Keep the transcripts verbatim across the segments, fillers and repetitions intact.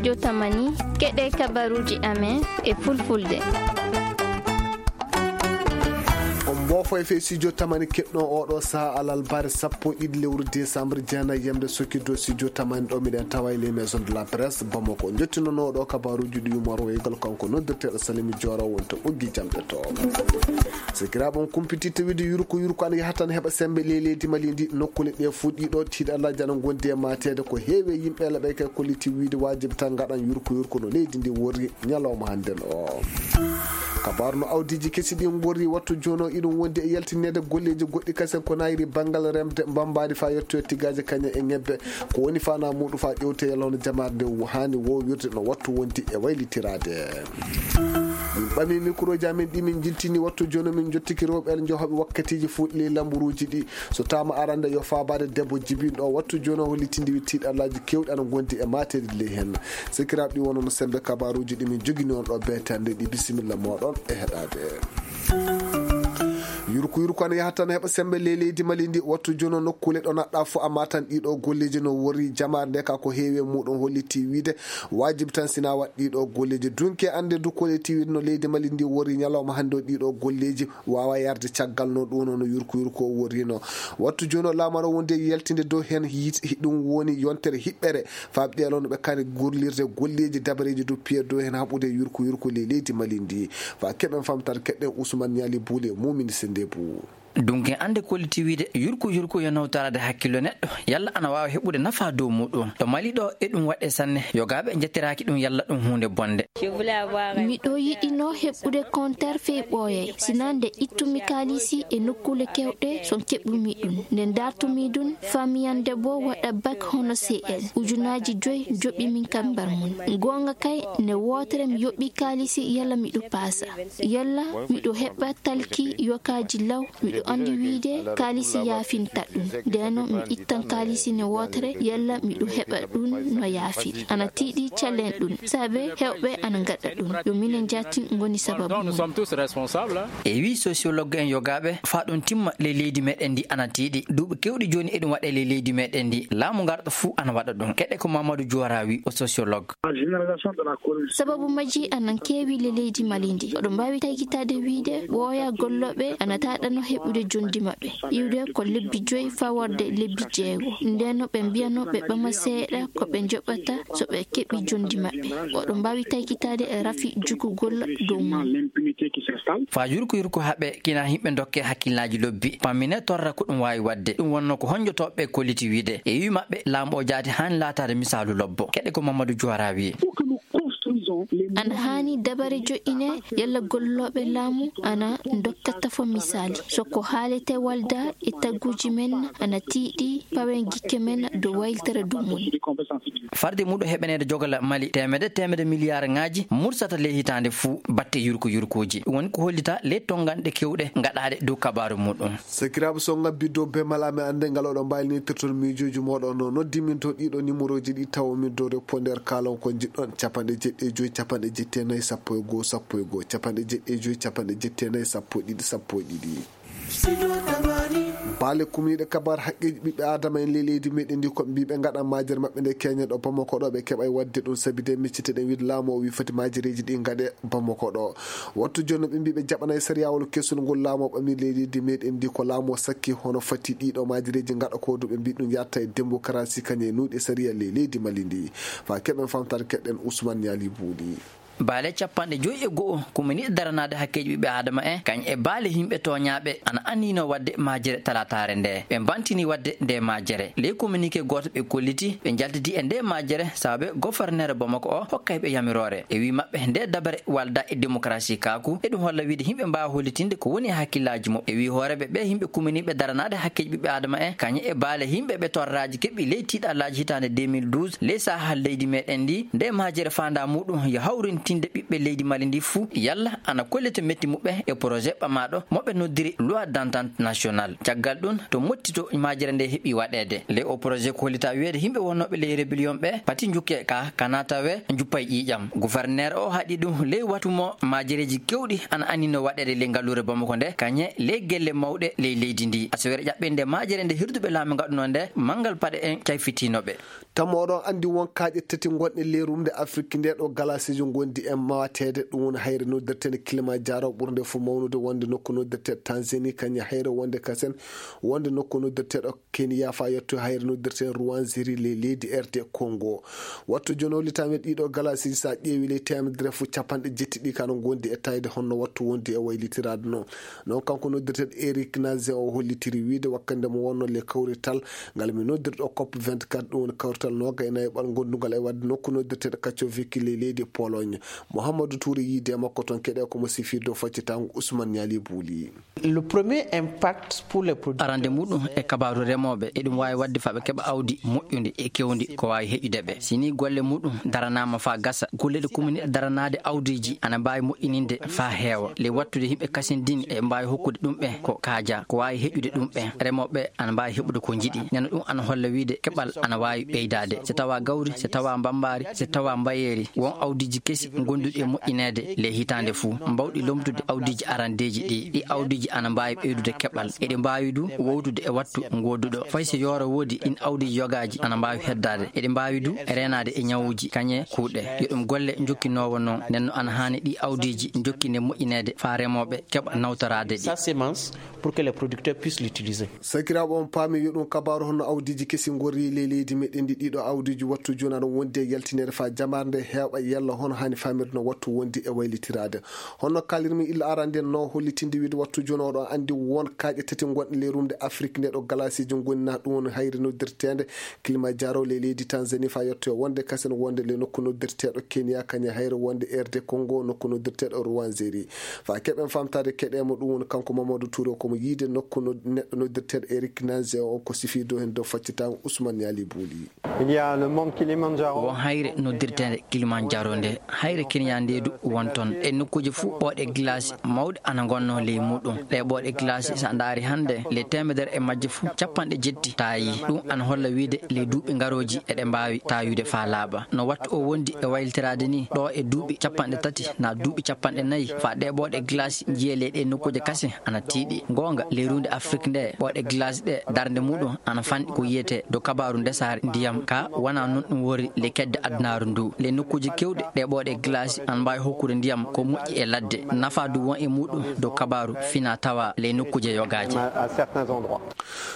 Studio Tamani, keɗee kabaruuji amen e fulfulde. On mboofo e fee studio Tamani keɗɗon oo ɗoo sahaa alalbaare sappo e ɗiɗi lewru desambre jeenayi yamde sokki dow studio Tamani ɗo miɗen tawa e les maisons de la presse Bamako. Njottinonoo ɗoo kabaruuji ɗi yumorweygal kanko noddirteeɗo Salimi Jooro wonto ɓoggi jamɗe to. Sikiraaɓe on kumpititta wiide yurko yurko ana yaha tan heɓa sembe ley leydi Mali ndi. Nokkule ɗe fuu ɗiɗo tiiɗallaaji ana ngondi e maateede. Ko heewi e yimɓe laɓe kay kolliti wiide waajibi tan ngaɗan yurko yurko no leydi ndi worri ñalawma hannden o. Kabaaru no awdiiji kesi ɗi ngorri wattu jooni o iɗum wondi e yaltineede golleeji goɗɗi kasen ko nayri banngal remde mbambaadi faa yettoya tigaaje kañe e ñebbe. Ko woni faanaa muuɗum faa ƴewte yalla hono jamaare nde haani woowirde no wattu wondi e waylitiraade. Min ɓamii mikurooji amen ɗi min njiltini wattu jooni min njottiki rewɓe njohoɓe wakkatiiji fuu ley lamburuuji ɗi. So taama arande yo faabaade debbo jibinɗo o wattu jooni o hollitindi wi tiiɗallaaji keewɗi ana ngondi e maateede ley heen. Sikiraaɓe ɗi wonono sembe kabaaruuji ɗi min jogini on ɗo beetande ɗi bisimilla mooɗon e heɗaade. Yurku yurku ana yaha tan heɓa sembe ley leydi Mali ndi wattu jooni o nokkule ɗo naɗɗa fo amma tan ɗiɗo golleeji no worri jamaare nde ka ko heewi e muuɗum holliti wiide waajibi tan sina waɗ ɗiɗo golleeji dunke annde du kolliti wiide no leydi Mali ndi worri ñalawma hannde o ɗiɗo golleeji waawa yarde caggal no ɗum no yurku yurku o worrino. Wattu jooni o laamaro wonde yaltinde dow heen yiite ɗum woni yontere hiɓɓere faaɓi ɗe alawno ɓe kani gollirde golleeji dabareeji dow piye dow heen haɓude yurku yurku ley leydi Mali ndi. Faa keɓen famtare keɗɗen Usman Ñaali Buule mumini sende bu. Dunke annde kolliti wiide yurku yurku yo nawtoraade hakkillo neɗɗo yalla ana waawa heɓude nafaa dow muuɗum ɗo Mali ɗo e ɗum waɗee sanne yogaaɓe njettiraaki ɗum yalla ɗum huunde bonde. Miɗo yiɗinoo heɓude konter fey ɓooyay sinaa nde ittumi kaalisi e nokkuule kewɗe son keɓumi ɗum nde ndartumi ɗum. Famiyande boo waɗa bak hono cl ujunaaji joy joɓi min kambar mum. Goonga kay nde wootere mi yoɓi kaalisi yalla miɗo paasa yalla miɗo heɓa talki yokaaji law. Miɗo anndi wiide kaalisi yaafinta ɗum ndeno mi ittan kaalisi nde wootere yalla miɗo heɓa ɗum no yaafiri ana tiiɗi callen ɗum saabe heewɓe ana ngaɗa ɗum yo minen jaati ngoni sababu mum. E wii sosiyologge en yogaaɓe faa ɗum timma ley leydi meɗen ndi ana tiiɗi duuɓi kewɗi jooni eɗum waɗee ley leydi meɗen ndi laamu ngarɗo fuu ana waɗa ɗum keɗe ko mamadou juwara wii o sosiyologge. Sababu majji ana keewi le leydi Mali ndi oɗon mbaawi taykitaade wiide ɓooya gollooɓe ana taaɗano heɓude jonndi maɓɓe iwde ko lebbi joyi faa warde lebbi jeego ndeno ɓe mbiyano ɓe ɓama seeɗa ko ɓe njoɓata so ɓe keɓi jonndi maɓɓe. Oɗon mbaawi taykitaade e rafi jukugol dow mum. Faa yurko yurko haɓe kina yimɓe ndokke hakkillaaji lobbi pammine torra ko ɗum waawi waɗde ɗum wonno ko honjotooɓe kolliti wiide e wii maɓɓe laamu o jaati haani laataade misaalu lobbo keɗe ko mamadou juwara wii. Ana haani dabare joƴƴine yalla gollooɓe laamu ana ndokka tafo misaali so ko haalete walda e tagguuji men ana tiiɗi pawen gikke men dow wayltere dow mum. Farde muɗo heɓaneede jogala mali teemede teemede miliyaarŋaaji mursata ley hitaande fuu batte yurko yurkooji ɗum woni ko hollita ley tonnganɗe kewɗe ngaɗaaɗe dow kabaaru muɗum. Sakiraaɓe so ngabbi dow bemal amen annde ngal oɗon mbaawi nitirton miijooji mooɗon no noddi min to ɗiɗo nimorooji ɗi tawo min dow reponder kaalon ko njiɗɗon capanɗe jeɗɗi e joyi capanɗe jetti e nayi sappo e goo sappo e goo capanɗe jeɗɗi e joyi capanɗe jetti e nayi sappo e ɗiɗi sappo e ɗiɗi. Baale kumniiɗe kabaar haqqeeji ɓiɓɓe aadama en ley leydi meɗen ndi koɓe mbii ɓe ngaɗan maajere maɓɓe nde keñe ɗo bamako ɗo ɓe keɓay waɗde ɗum sabi de micciteɗen wiide laamu o wii foti maajereeji ɗi ngaɗe bamako ɗo. Wattu jooni ɓe mbii ɓe jaɓanay sariyaawol kesul ngol laamu o ɓami ley leydi meɗen ndi ko laamu o sakki hono fati ɗiɗo maajereeji ngaɗa ko du ɓe mbii ɗum yatta e demokarasi kañe e nuuɗi sariya ley leydi mali ndi. Faa keɓen famtare keɗɗen usman ñaali buuɗi. Baale capanɗe joyi e go'o kuminiiɗe daranaade hakkeeji ɓiɓɓe aadama en kañ e baale yimɓe tooñaaɓe ana anniino waɗde maajere talaataare nde ɓe mbantinii waɗde nde maajere ley kominike gooto ɓe kolliti ɓe njaltidi e nde maajere sababu goforneere bamako o hokkay ɓe yamiroore e wii maɓɓe nde dabare walda e demokarasi kaaku eɗum holla wiide yimɓe mbaawa hollitinde ko woni e hakkillaaji muɓɓe e wii hooreeɓe ɓe yimɓe kuminiiɓe daranaade hakkeeji ɓiɓɓe aadama en kañe e baale yimɓe ɓe torraaji keɓɓi ley tiiɗallaaji hitaande deux mille douze ley saahal leydi meɗen ndi nde maajere faandaa muɗum yo hawrin tinde ɓiɓɓe leydi Mali ndi fuu yalla ana kollita metti muɓɓe e projet ɓamaaɗo mo ɓe noddiri loi d'entente nationale. Caggal ɗum to motti to maajere nde heɓi waɗeede. Ley o projet ko hollita wiyeede yimɓe wonnooɓe ley rébellion ɓe pati njukke ka, ka naata we njuppay ƴiiƴam. Gouverneur o haɗi ɗum ley watu mo maajereeji kewɗi ana annino waɗeede ley ngalluure Bamako nde, kañe ley gelle mawɗe ley leydi ndi. Asawere ƴaɓɓinde maajere nde hirduɓe laamu ngaɗunoo nde, manngal paɗe en cayfitiino ɓe. Tammo oɗon anndi won kaaƴe tati ngonɗe ley rumde Afrik nde ɗo galaasiijo ngondi e maateede, ɗum woni hayre noddirteende Kilimanjaro ɓurnde fof mawnude wonde nokku noddirteeɗo Tanzanie, kañum hayre wonde kasen wonde nokku noddirteeɗo Kenya, faa yetto hayre noddirteeɗo Rwenzori ley leydi R D Congo. Wattu jooni o litaami ɗiɗo galaasiiji, so a ƴeewi ley teemedere fof capanɗe jetti ɗi kano ngondi e tayde honno wattu wondi e waylitiraade non. Non kanko noddirteeɗo Eric Nazen o hollitiri wiide wakkande mo wonno le kawrital ngal mi noddirɗo cop vingt-quatre, ɗum woni kawrital nooga e nayi ɓal gondungal e waɗde nokku noddirteeɗo Katowice ley leydi Pologne. Mouhamadou Touré yiide e makko toon keɗe ko mo sifir dow faccitaango Ousmane Niali Bouli. Le premier impact pour les producteurs. Arande muɗum e kabaaru remooɓe, eɗum waawi waɗde faa ɓe keɓa awdi moƴƴundi e kewndi ko waawi heƴude ɓe. Si nii golle muɗum daranaama faa gasa, golle ɗe kuminiiɗe daranaade awdiiji ana mbaawi moƴƴininde faa heewa. Ley wattude yimɓe kasindini eɓe mbaawi hokkude ɗum ɓe ko kaaja, ko waawi heƴude ɗum ɓe. Remooɓe ana mbaawi heɓude ko njiɗi. Neno ɗum ana holla wiide keɓal ana waawi ɓeydaade. Si tawaa gawri, si tawaa mbambaari, si tawaa mbayeeri, won awdiiji kesi gonduɗi e moƴƴineede ley hitaande fuu, mbawɗi lomtude awdiiji arandeeji ɗi. Ɗi awdiiji ana mbaawi ɓeydude keɓal. Eɗi mbaawi du wowtude e wattu ngooduɗo. Fay so yooro woodi, ɗin awdiiji yogaaji ana mbaawi heddaade. Eɗi mbaawi du reenaade e ñawuuji, kañe kuuɗe. Yo ɗum golle njokkinoowo non. Nden no ana haani ɗi awdiiji njokkinde moƴƴineede faa remooɓe keɓa nawtoraade ɗi. Sa semence pour que les producteurs puissent l'utiliser. Sakiraaɓe, on paami yo ɗum kabaaru honno awdiiji kesi ngorri ley leydi meɗen ndi. Ɗiɗo awdiiji wattu jooni aɗa wondi e yaltineede faa jamaare nde heeɓa yalla hono haani faamirde no wattu wondi e waylitiraade. Hono kaalirmi illa arande no hollitinde wiide wattu jooni oɗo anndi won kaaƴe tati ngonɗe ley rumde Afrik nde ɗo galaasiiji ngoni na ɗum woni hayre noddirteende Kilimanjaro ley leydi Tanzanie faa yettoya wonde kasen wonde ley nokku noddirteeɗo Kenya kañe hayre wonde R D Congo nokku noddirteeɗo Rwenzori. Faa keɓen faamtaade keɗeemo ɗum woni kanko Mamadou Touré ko mo yiide nokku no-, neɗɗo noddirteeɗo Eric Nazen o ko sifii dow heen dow faccitaango Ousmane Niali Bouli. Il y a le mont Kilimanjaro. Won hayre noddirteende Kilimanjaro nde. Hayre Kenya nde du won toon. E nokkuuje fuu ɓooɗe glace mawɗe ana ngonnoo ley muɗum. Ɗee ɓooɗe glace so a ndaari hannde ley teemedere e majje fuu capanɗe jetti taayii. Ɗum ana holla wiide ley duuɓi ngarooji eɗe mbaawi taayude faa laaɓa. No wattu o wondi e waylitiraade nii ɗoo e duuɓi capanɗe tati naa duuɓi capanɗe nayi faa ɗee ɓooɗe glace njiyee ley ɗee nokkuuje kasen ana tiiɗi. Goonga, ley ruunde Afrik nde, ɓooɗe glace ɗe darnde muɗum ana fanɗi ko yiyetee dow kabaaru ndesaari ndiyam ka wanaa non ɗum woni ley kedde adunaaru ndu. Ley nokkuuje keewɗe, ɗee ɓooɗe glace ana mbaawi hokkude ndiyam ko moƴƴi e ladde. Nafaa du won e muɗum dow kabaaru finaa tawaa ley nokkuuje yogaaje.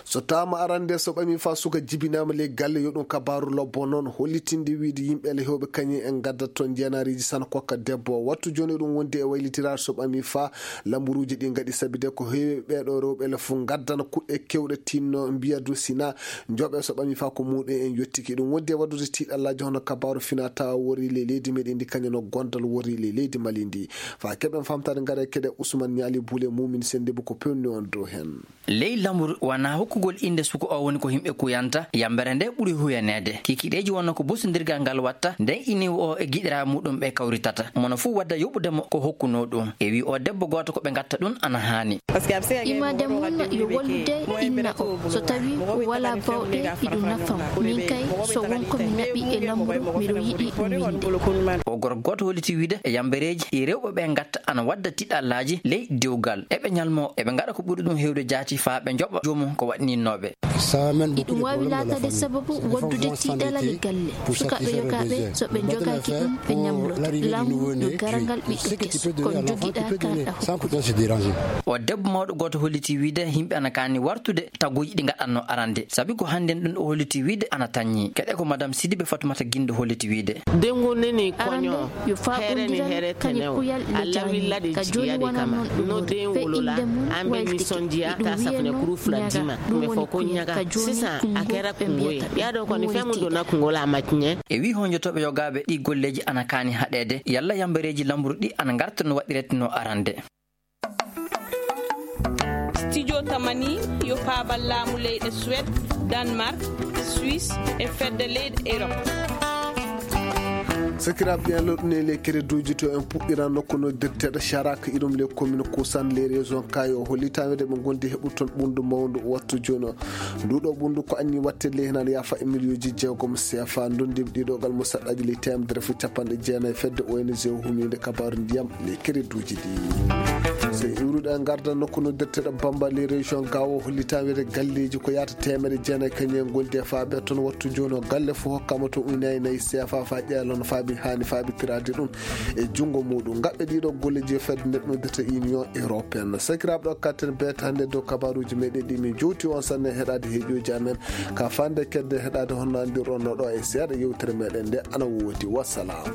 So tawaama arande so ɓami faa suka jibinaama ley galle, yo ɗum kabaaru lobbo non, hollitinde wiide yimɓe le heewɓe kañum en ngaddat toon njeenaariiji sana kokka debbo. Wattu jooni eɗum wondi e waylitiraade so ɓami faa lamburuuji ɗi ngaɗi sabi de ko heewi ɓeeɗo rewɓe le fof ngaddana kuɗɗe keewɗe tinno mbiya du sina njoɓe so ɓami faa ko muɗum en yottiki. Ɗum wondi e waɗude tiiɗallaaji hono kabaaru finaa tawa worri ley leydi meɗen ndi kañum no gondal worri ley leydi Mali ndi. Faa keɓen faamtaade ngare keɗe Ousmane Niali Bouli muumin sennde bu ko pewni on dow heen. Ley lamuru wanaa hokkugol innde suka o woni ko yimɓe kuyanta, yambere nde ɓuri huyaneede. Kikiiɗeeji wonno ko bosondirgal ngal watta, nden iniiwo o e giɗiraaɓe muɗum ɓe kawritata. Mono fuu wadda yoɓude mo ko hokkunoo ɗum. E wii o debbo gooto ko ɓe ngatta ɗum ana haani. Imaade mum yo wallude inna o. So tawii walaa baawɗe, iɗum nafa mo. Min kay, so won ko mi naɓi e lamuru, miɗo yiɗi ɗum winde. O gorko gooto holliti wiide e yambereeji ɗi rewɓe ɓe ngatta ana wadda tiɗallaaji ley dewgal. Eɓe ñalmoo, eɓe ngaɗa ko ɓuri ɗum heewde jaati faa ɓe njoɓa joomum ko waɗninnooɓe. Iɗum waawi laataade sababu waddude tiiɗalal e galle. Sukaaɓe yogaaɓe, so ɓe njogaaki ɗum, ɓe ñamloto. Lamuru no garangal ɓiɗɗo keso. Ko jogiɗaa kaa ɗa hokkude. O debbo mawɗo gooto holliti wiide yimɓe ana kaani wartude taguuji ɗi ngaɗatnoo arande. Sabi ko hannden ɗum o holliti wiide ana taññi. Keɗe ko Madame Sidibe Fatoumata Gindo holliti wiide. Arande, yo faaɓondiral kañe kuyal le jaani. Ka jooni wonaa non ɗum woni. Fee innde mum waylitike. Iɗum wiyee non ñaga. Ɗum woni kuyal ka jooni kunngo ɓe mbiyata ɗum woni tiiɗa. E wii honjotooɓe yogaaɓe ɗii golleeji ana kaani haɗeede, yalla yambereeji lamuru ɗi ana ngarta no waɗiretnoo arande. Studio Tamani yo paabal laamu leyɗe Suwed, Danemark, Suisse e fedde leyɗe Erop. Sakiraaɓe ɓe lorɗini e ley kereduuji to en puɗɗiran nokku noddirteeɗo Charak irum ley komin Kusan ley région Kayo. Hollitaama wiyde ɓe ngondi heɓu toon ɓunndu mawndu wattu jooni o. Ndu ɗo ɓunndu ko anni watte ley hinan yaafa e miliyuuji jeegom C F A. Ndonndi ɗiɗo gal mo saɗɗaaji ley teemedere fuu capanɗe jeenayi fedde O N G humiinde kabaaru ndiyam ley kereduuji ɗi. So iwruɗo en ngarda nokku noddirteeɗo Bamba ley région Gawo, hollitaama wiyde galleeji ko yaata teemedere jeenayi kañum en ngondi e faabe toon wattu jooni o. Galle fof hokkama to unayi nayi C F A faa ƴeelon faabi haani faabi piraade ɗum e junngo muuɗum. Ngaɓɓe ɗiɗo golleeji e fedde nde noddirta Union Européenne. Sakiraaɓe ɗo katten beeta hannde dow kabaaruuji meɗen ɗi min jowti on sanne heɗaade heeƴooji amen. Ka fande kedde heɗaade honno anndirɗon no ɗo e seeɗa yewtere meɗen nde ana woodi. Wassalam.